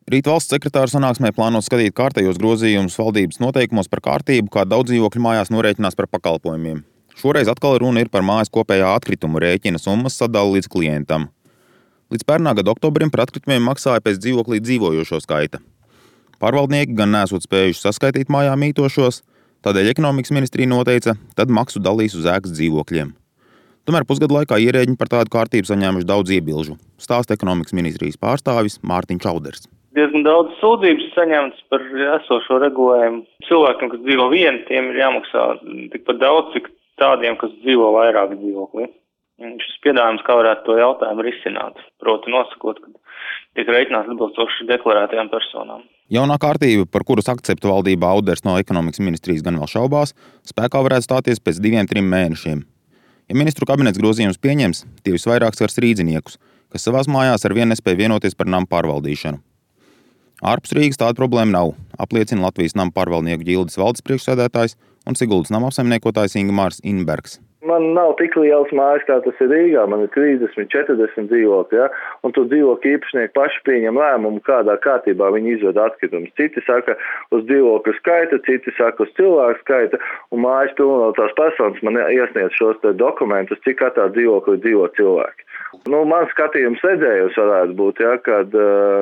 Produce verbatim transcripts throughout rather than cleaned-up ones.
Rīt valsts sekretāra sanāksmē plāno skatīt kārtējos grozījumus valdības noteikumos par kārtību, kā daudz dzīvokļu mājās norēķinās par pakalpojumiem. Šoreiz atkal runa ir par mājas kopējā atkritumu rēķina summas sadali līdz klientam. Līdz pērnā gada oktobrim par atkritumiem maksāja pēc dzīvoklī dzīvojošo skaita. Pārvaldnieki gan nesot spējuši saskaitīt mājā mītošos, tādēļ ekonomikas ministrija noteica, tad maksu dalīs uz ēkas dzīvokļiem. Tomēr pusgadu laikā ierēģiņi par tādu kārtību saņēmuši daudz iebilžu, stāsta ekonomikas ministrijas pārstāvis Mārtiņš Čauders. Diezgan daudz sūdzības saņemts par esošo regulējumu. Cilvēkiem, kas dzīvo vieni, tiem ir jāmaksā tikpat daudz, cik tādiem, kas dzīvo vairāk dzīvoklī. Šis piedāvājums, kā varētu to jautājumu risināt, proti nosakot, ka tiek rēķināts atbilstoši deklarētajām personām. Jaunā kārtība, par kuras akceptu valdībā Auders no ekonomikas ministrijas gan vēl šaubās, spēkā varētu stāties pēc diviem, trim mēnešiem. Ja ministru kabinets grozījumus pieņems, tie visvairāk skars rīdziniekus, kas savās mājās ar vienu nespēja vienoties par namu pārvaldīšanu. Ārpus Rīgas tāda problēma nav, apliecina Latvijas namu pārvaldnieku ģildes valdes priekšsēdētājs un Siguldas nama apsaimniekotājs Ingmārs Inbergs. Man nav tik liels mājas, kā tas ir Rīgā. Man ir trīsdesmit, četrdesmit dzīvokļi, ja? Un tur dzīvokļu īpašnieki paši pieņem lēmumu, kādā kārtībā viņi izved atkritumus. Citi saka uz dzīvokļu skaita, citi saka uz cilvēku skaita, un mājas pilnotās personas man iesniedz šos te dokumentus, cik katrā dzīvoklī dzīvo cilvēki. Nu, man skatījums redzējums varētu būt, ja, kad,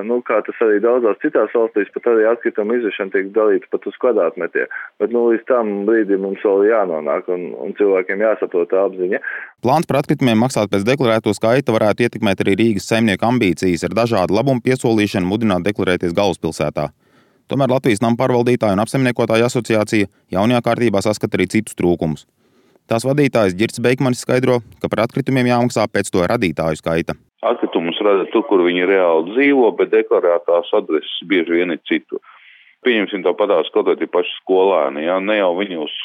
nu, kā tas arī daudzās citās valstīs, pat arī atkritumu izvešana tiek dalīta pat uz kvadrātmetiem. Bet, nu, līdz tam brīdim mums vēl jānonāk un, un cilvēkiem jāsaprot tā apziņa. Plāns par atkritumiem maksāt pēc deklarēto skaita varētu ietekmēt arī Rīgas saimnieku ambīcijas ar dažādu labumu piesolīšanu mudināt deklarēties galvaspilsētā. Tomēr Latvijas namu pārvaldītāju un apsaimniekotāju asociācija jaunajā kārtībā saskata arī citus trūkumus. Tās vadītājs Ģirds Beikmanis skaidro, ka par atkritumiem jāmaksā pēc to radītāju skaita. Atkritumus rada tur, kur viņi reāli dzīvo, bet deklarētās adreses bieži vien ir citur. Pieņemsim tāpatās kaut vai tie paši skolēni, ja? Ne jau viņi uz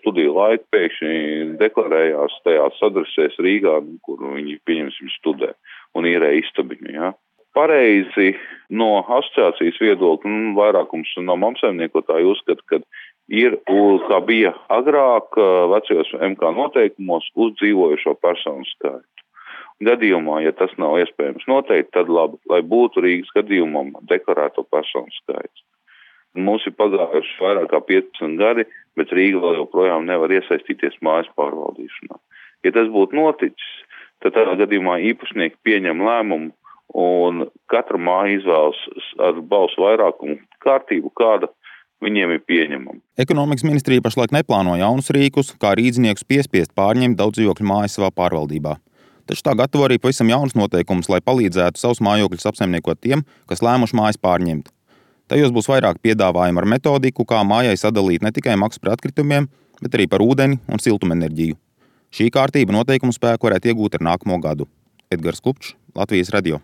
studiju laiku pēkšņi deklarējās tajās adresēs Rīgā, kur viņi, pieņemsim, studē un īrē istabiņu. Ja? Pareizi no asociācijas viedokļa, nu, vairākums no apsaimniekotāju uzskata, ka ir, kā bija agrāk vecajos M K noteikumos, uz dzīvojošo personu skaitu. Gadījumā, ja tas nav iespējams noteikt, tad labi, lai būtu Rīgas gadījumam deklarēto personu skaits. Mums ir pagājuši vairāk kā piecdesmit gadi, bet Rīga vēl joprojām nevar iesaistīties mājas pārvaldīšanā. Ja tas būtu noticis, tad tādā gadījumā īpašnieki pieņem lēmumu un katra māja izvēlas ar balsu vairākumu kārtību, kāda viņiem ir pieņemama. Ekonomikas ministrija pašlaik neplāno jaunus rīkus, kā rīdziniekus piespiest pārņemt daudz dzīvokļu mājas savā pārvaldībā. Taču tā gatavo arī pavisam jaunus noteikumus, lai palīdzētu savus mājokļus apsaimniekot tiem, kas lēmuši mājas pārņemt. Tajos būs vairāk piedāvājumu ar metodiku, kā mājai sadalīt ne tikai maksu par atkritumiem, bet arī par ūdeni un siltumenerģiju. Šī kārtība noteikumu spēku varētu iegūt ar nākamo gadu. Edgars Kupčs, Latvijas radio.